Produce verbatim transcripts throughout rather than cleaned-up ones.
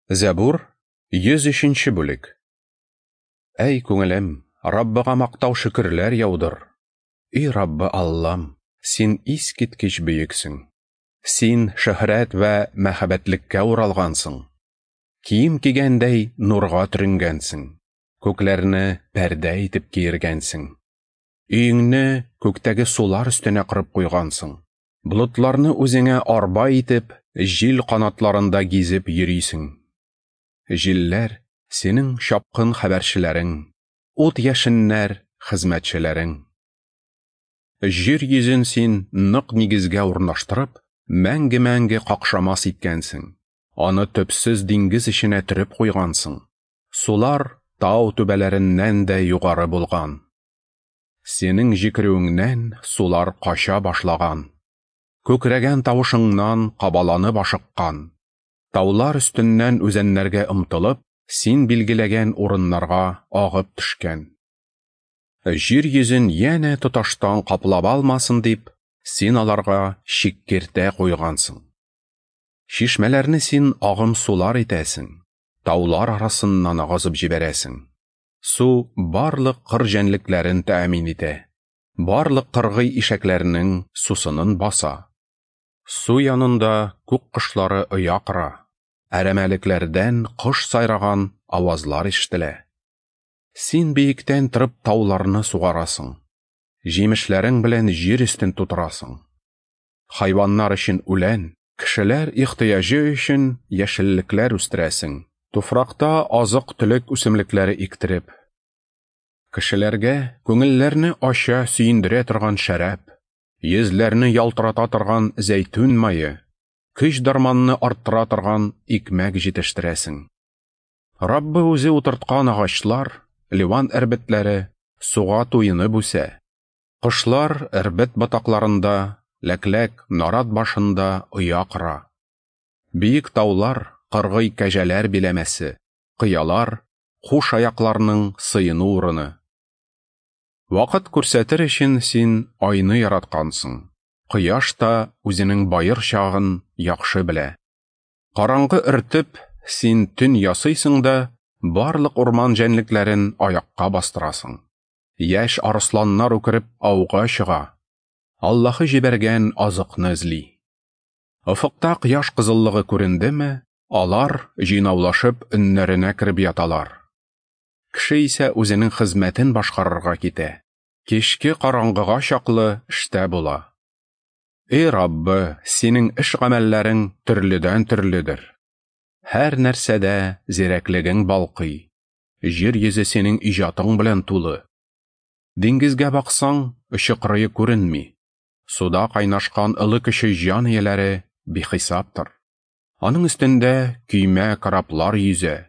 Зәбур, йөз өченче бүлек. Әй күңелем, Раббыга мактау шөкерләр яудыр. Ey Раббы Аллам, син искиткеч бөексең. Син шөһрәт вә мәһабәтлеккә уралгансың. Кием кигәндәй нурга төренгәнсең. Күкләрне пәрдә итеп киергәнсең. Өеңне күктәге сулар өстенә корып куйгансың. Болытларны үзеңә арба итеп, җил канатларында гизеп йөрисең. Җилләр синең чапкын хәбәрчеләрең, ут яшеннәр хезмәтчеләрең. Җир йөзен син нык нигезгә урнаштырып, мәңге-мәңге какшамас иткәнсең. Аны төпсез диңгез эченә төреп куйгансың. Сулар тау түбәләреннән дә югары булган. Синең җикерүеңнән сулар кача башлаган. Күкрәгән тавышыңнан кабаланып ашыккан. Таулар өстеннән үзәннәргә омтылып, син билгеләгән урыннарга агып төшкән. Җир йөзен янә тоташтан каплап алмасын дип, син аларга чик-киртә куйгансың. Чишмәләрне син агым сулар итәсең, таулар арасыннан агызып җибәрәсең. Су барлык кыр җәнлекләрен тәэмин итә, барлык кыргый ишәкләрнең сусынын баса. Су янында күк кошлары оя кора, әрәмәлекләрдән кош сайраган авазлар ишетелә. Син биектән торып тауларны сугарасың, җимешләрең белән җир өстен тутырасың. Хайваннар өчен үлән, кешеләр ихтыяҗы өчен яшеллекләр үстерәсең, туфракта азык-төлек үсемлекләре иктереп. Кешеләргә күңелләрне ача сөендерә торган шәраб, йөзләрне ялтырата торган зәйтүн мае, көч дарманны арттыра торган икмәк җитештерәсең. Раббы үзе утырткан агачлар, Ливан эрбетләре суга туенып үсә. Кошлар эрбет ботакларында, ләкләк нарат башында оя кора. Биек таулар кыргый кәҗәләр биләмәсе, кыялар куш аякларның сыену урыны. Вакыт күрсәтер өчен син айны яраткансың. Кояш та үзенең баер чагын яхшы белә. Караңгы өртеп, син төн ясыйсың да, барлык урман җәнлекләрен аякка бастырасың. Яшь арысланнар үкереп ауга чыга. Аллаһы җибәргән азыкны эзли. Офыкта кояш кызыллыгы күрендеме, алар җыйнаулашып өннәренә кереп яталар. Кеше исә үзенең хезмәтен башкарырга китә. Кичке караңгыга чаклы эштә була. Эй Раббы, синең эш гамәлләрең төрледән төрледер. Һәр нәрсәдә зирәклегең балкый. Җир йөзе синең иҗатың белән тулы. Диңгезгә баксаң, очы-кырые күренми. Суда кайнашкан ылы кеше җан ияләре бихисаптыр. Аның өстендә көймә кораблар йөзә.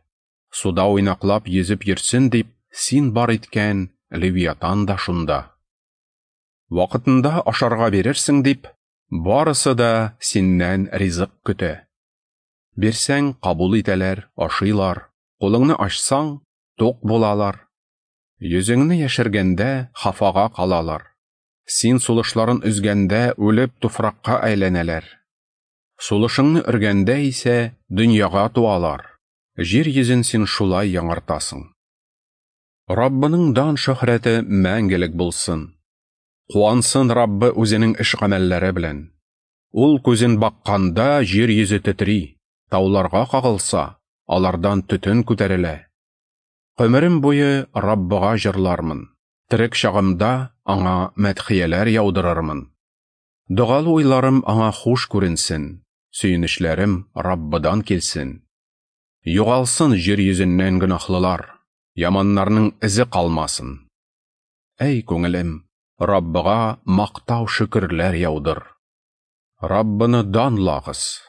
Суда уйнаклап йөзеп йөрсен дип, син бар иткән Левиатан да шунда. Вакытында ашарга бирерсең дип, барысы да синнән ризык көтә. Бирсәң, кабул итәләр, ашыйлар. Кулыңны ачсаң, тук булалар. Йөзеңне яшергәндә хафага калалар. Син сулышларын өзгәндә үлеп туфракка әйләнәләр. Сулышыңны өргәндә исә дөньяга туалар. Җир йөзен син шулай яңартасың. Раббының дан шөһрәте мәңгелек булсын. Куансын Раббы үзенең эш гамәлләре белән. Ул күзен бакканда җир йөзе тетри, тауларга кагылса, алардан төтен күтәрелә. Гомерем буе Раббыга җырлармын, терек чагымда аңа мәдхияләр яудырырмын. Догалы уйларым аңа хуш күренсен, сөенечләрем Раббыдан килсен. Югалсын җир йөзеннән гөнаһлылар, яманнарның эзе калмасын. Әй күңелем, Раббыга мактау шөкерләр яудыр. Раббыны данлагыз.